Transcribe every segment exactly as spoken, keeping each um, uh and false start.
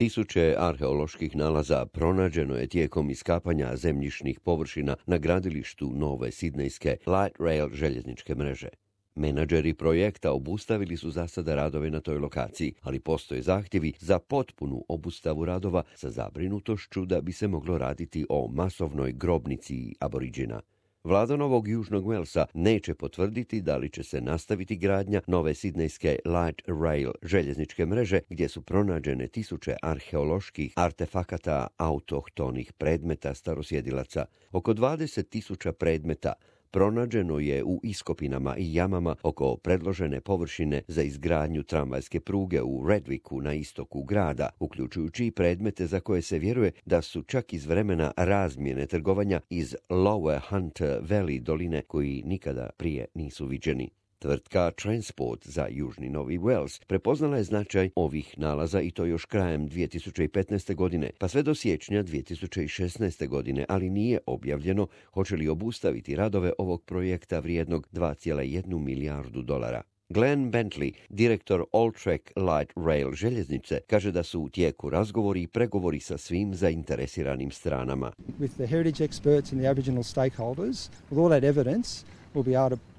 Tisuće arheoloških nalaza pronađeno je tijekom iskapanja zemljišnih površina na gradilištu nove sidnejske Light Rail željezničke mreže. Menadžeri projekta obustavili su za sada radove na toj lokaciji, ali postoje zahtjevi za potpunu obustavu radova sa zabrinutošću da bi se moglo raditi o masovnoj grobnici aboriđina. Vlada Novog Južnog Walesa neće potvrditi da li će se nastaviti gradnja nove sidnejske Light Rail željezničke mreže gdje su pronađene tisuće arheoloških artefakata autohtonih predmeta starosjedilaca. Oko dvadeset tisuća predmeta pronađeno je u iskopinama i jamama oko predložene površine za izgradnju tramvajske pruge u Redwicku na istoku grada, uključujući i predmete za koje se vjeruje da su čak iz vremena razmjene trgovanja iz Lower Hunter Valley doline koji nikada prije nisu viđeni. Tvrtka Transport za Južni Novi Wales prepoznala je značaj ovih nalaza i to još krajem dvije tisuće petnaeste. godine, pa sve do siječnja dvije tisuće šesnaeste. godine, ali nije objavljeno hoće li obustaviti radove ovog projekta vrijednog dva zarez jedna milijardu dolara. Glenn Bentley, direktor Alltrack Light Rail željeznice, kaže da su u tijeku razgovori i pregovori sa svim zainteresiranim stranama. With the heritage experts and the Aboriginal stakeholders, with all that evidence, we'll be able to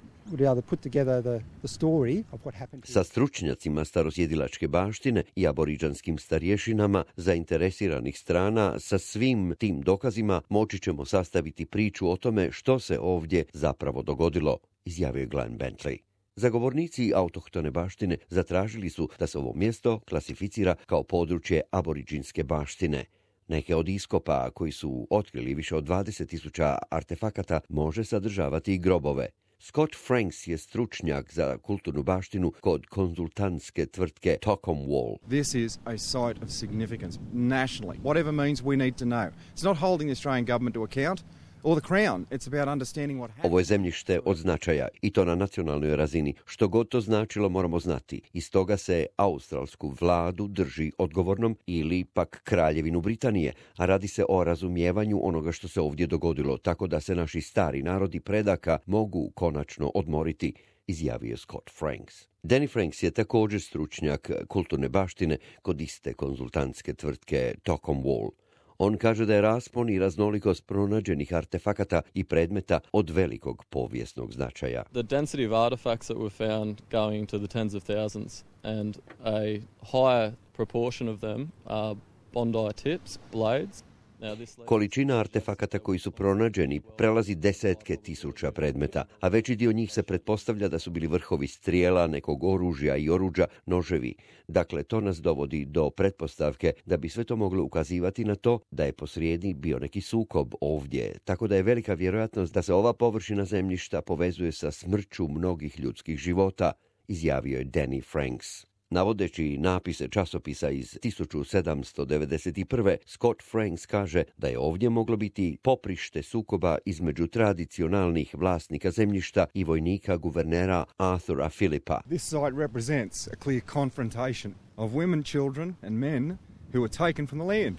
Sa stručnjacima starosjedilačke baštine i aboriđanskim starješinama zainteresiranih strana, sa svim tim dokazima moći ćemo sastaviti priču o tome što se ovdje zapravo dogodilo, izjavio je Glenn Bentley. Zagovornici autohtone baštine zatražili su da se ovo mjesto klasificira kao područje aboriđinske baštine. Neke od iskopa koji su otkrili više od dvadeset tisuća artefakata može sadržavati i grobove. Scott Franks je stručnjak za kulturnu baštinu kod konzultantske tvrtke Tockham Wall. This is a site of significance nationally. Whatever means we need to know. It's not holding the Australian government to account or the Crown. It's about understanding what happened. Ovo je zemljište od značaja i to na nacionalnoj razini. Što god to značilo moramo znati. Iz toga se australsku vladu drži odgovornom ili pak kraljevinu Britanije, a radi se o razumijevanju onoga što se ovdje dogodilo, tako da se naši stari narodi predaka mogu konačno odmoriti, izjavio Scott Franks. Danny Franks je također stručnjak kulturne baštine kod iste konzultantske tvrtke Tockham Wall. On kaže da je raspon i raznolikost pronađenih artefakata i predmeta od velikog povijesnog značaja. The density of artifacts that were found going to the tens of thousands and a higher proportion of them are bondi tips, blades. Količina artefakata koji su pronađeni prelazi desetke tisuća predmeta, a veći dio njih se pretpostavlja da su bili vrhovi strijela, nekog oružja i oruđa, noževi. Dakle, to nas dovodi do pretpostavke da bi sve to moglo ukazivati na to da je posrijedi bio neki sukob ovdje, tako da je velika vjerojatnost da se ova površina zemljišta povezuje sa smrću mnogih ljudskih života, izjavio je Danny Franks. Navodeći napise časopisa iz tisuću sedamsto devedeset prve. Scott Franks kaže da je ovdje moglo biti poprište sukoba između tradicionalnih vlasnika zemljišta i vojnika guvernera Arthura Phillipa. This site represents a clear confrontation of women, children and men who were taken from the land.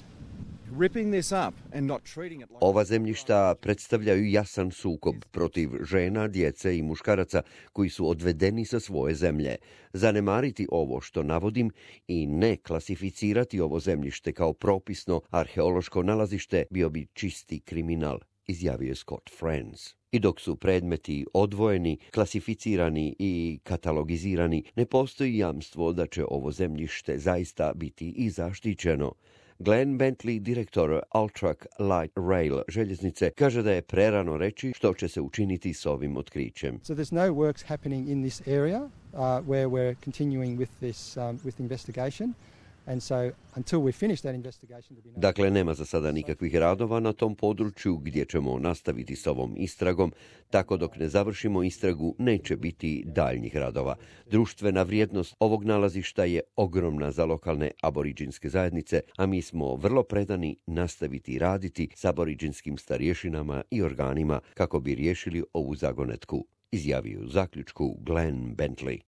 Ova zemljišta predstavljaju jasan sukob protiv žena, djece i muškaraca koji su odvedeni sa svoje zemlje. Zanemariti ovo što navodim i ne klasificirati ovo zemljište kao propisno arheološko nalazište bio bi čisti kriminal, izjavio je Scott Franks. I dok su predmeti odvojeni, klasificirani i katalogizirani, ne postoji jamstvo da će ovo zemljište zaista biti i zaštićeno. Glenn Bentley, direktor Alltrack Light Rail željeznice, kaže da je prerano reći što će se učiniti s ovim otkrićem. So there's no works happening in this area uh, where we're continuing with this um, with investigation. And so, until we finish that investigation, no... Dakle, nema za sada nikakvih radova na tom području gdje ćemo nastaviti s ovom istragom, tako dok ne završimo istragu neće biti daljnjih radova. Društvena vrijednost ovog nalazišta je ogromna za lokalne aboriđinske zajednice, a mi smo vrlo predani nastaviti raditi s aboriđinskim starješinama i organima kako bi riješili ovu zagonetku, izjavio u zaključku Glenn Bentley.